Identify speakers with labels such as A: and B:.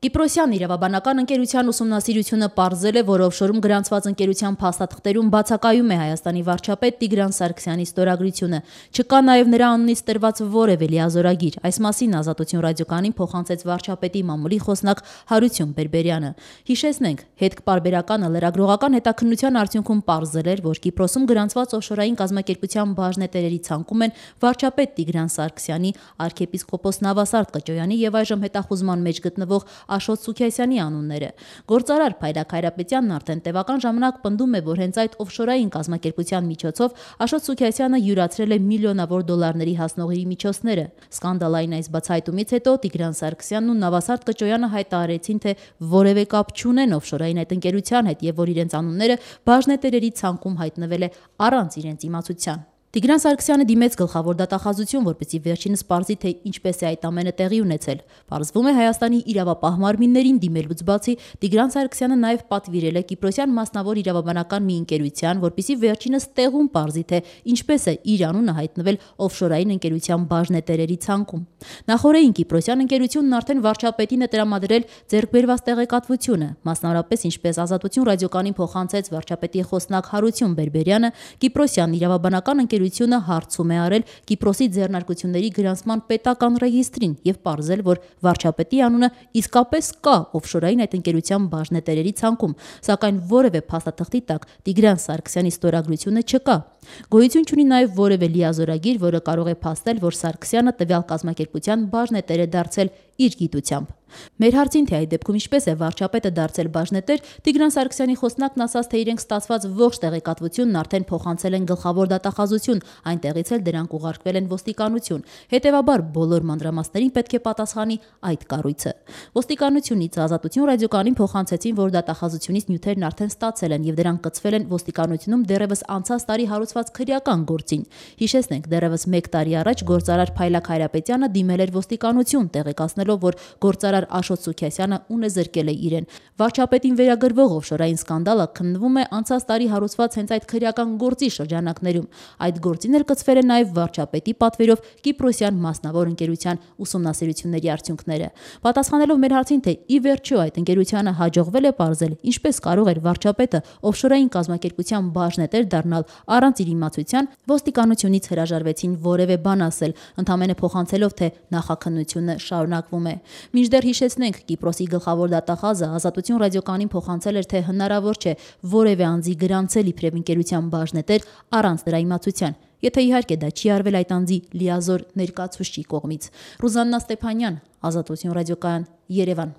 A: Կիպրոսյան իրավաբանական ընկերության ուսումնասիրությունը պարզել է, որ օֆշորում գրանցված ընկերության փաստաթղթերում բացակայում է Հայաստանի վարչապետ Տիգրան Սարգսյանի ստորագրությունը։ Չկա նաև նրա անունից տրված որևէ լիազորագիր։ Այս մասին Ազատություն ռադիոկայանին փոխանցեց վարչապետի մամուլի խոսնակ Հարություն Բերբերյանը։ Հիշեցնենք, հետքպարբերականը լրագրողական հետաքննության արդյունքում պարզել էր, որ Կիպրոսում գրանցված օֆշորային կազմակերպության բաժնետերերի ցանկում են վարչապետ Տիգրան Սարգսյանի, արքեպիսկոպոս Նավասարդ Կճոյանի եւ այժմ հետախուզման մեջ գտնվող Աշոտ Սուքիասյանի անունները։ Գործարար Փայլակ Հայրապետյանն արդեն տևական ժամանակ պնդում է, որ հենց այդ օֆշորային կազմակերպության միջոցով Աշոտ Սուքիասյանը յուրացրել է միլիոնավոր դոլարների հասնողի միջոցները։ Սկանդալային այս բացահայտումից հետո Տիգրան Սարգսյանն ու Նավասարդ Կճոյանը հայտարարեցին, թե որևէ կապ չունեն օֆշորային այդ ընկերության հետ եւ որ իրենց անունները բաժնետերերի ցանկում հայտնվել է առանց իրենց իմացության։ Տիգրան Սարգսյանը դիմեց գլխավոր դատախազություն, որպեսզի վերջինս պարզի, թե ինչպես է այդ ամենը տեղի ունեցել։ Պարզվում է, Հայաստանի իրավապահ մարմիններին դիմելուց բացի Տիգրան Սարգսյանը նաև պատվիրել է Կիպրոսյան մասնավոր իրավաբանական մի ընկերության, որպեսզի վերջինս տեղում պարզի, թե ինչպես է իր անունը հայտնվել օֆշորային ընկերության բաժնետերերի ցանկում։ Նախորդին Կիպրոսյան ընկերությունն արդեն վարչապետին է տրամադրել ձեռքբերված տեղեկատվությունը, մասնավորապես ինչպես Ազատություն ռադիոկայանին փոխանցեց վարչապետի խոսնակ Հարություն Բերբերյանը, Կիպրոսյան իրավաբանական ընկերությունը հարցում է արել Կիպրոսի ձեռնարկությունների գրանցման պետական ռեգիստրին եւ պարզել, որ վարչապետի անունը իսկապես կա օֆշորային այդ ընկերության բաժնետերերի ցանկում, սակայն որևէ փաստաթղթի տակ Տիգրան Սարգսյանի ստորագրությունը չկա։ Գոյություն չունի նաև որևէ լիազորագիր, որը կարող է փաստել, որ Սարգսյանը տվյալ կազմակերպության բաժնետեր է դարձել իր գիտությամբ։ Մեր հարցին, թե այդ դեպքում ինչպես է վարչապետը դարձել բաժնետեր, Տիգրան Սարգսյանի խոսնակն ասաց, թե իրենք ստացված ողջ տեղեկատվությունն արդեն փոխանցել են գլխավոր դատախազություն, այնտեղից էլ դրանք ուղարկվել են ոստիկանություն։ Հետևաբար բոլոր մանրամասներին պետք է պատասխանի այդ կառույցը։ Ոստիկանությունից Ազատություն ռադիոկայանին փոխանցեցին, որ դատախազությունից նյութերն արդեն ստացել են եւ դրանք կցվել են ոստիկանությունում դեռևս անցած տարի հարուցված քրեական գործին։ Հիշեցնենք, դեռևս 1 տարի առաջ գործարար Փայլակ Հայրապետյանը դիմել էր ոստիկանություն, տեղեկացնելով, որ գործարար Աշոտ Սուքիասյանը ունեզրկել է իրեն։ Վարչապետին վերագրվող օֆշորային սկանդալը քննվում է անցած տարի հարուցված հենց այդ քրեական գործի շրջանակներում։ Այդ գործին էլ կցվել է նաև վարչապետի պատվերով Կիպրոսյան մասնավոր ընկերության ուսումնասիրությունների արդյունքները։ Պատասխանելով մեր հարցին, թե ի վերջո այդ ընկերությանը հաջողվել է պարզել, ինչպես կարող էր վարչապետը օֆշորային կազմակերպության բաժնետեր դառնալ առանց իր իմացության, ոստիկանությունից հրաժարվեցին որևէ բան ասել, ընդամենը փոխանցելով, թե նախաքննությունը շարունակվում է։ Մինչդեռ հիշեցնենք, Կիպրոսի գլխավոր դատախազը Ազատություն ռադիոկայանին փոխանցել էր, թե հնարավոր չէ որևէ անձի գրանցել իբրև ընկերության բաժնետեր առանց դրա իմացության, եթե իհարկե դա չի արվել այդ անձի լիազոր ներկայացուցչի կողմից։ Ռուզաննա Ստեփանյան, Ազատություն ռադիոկայան, Երևան։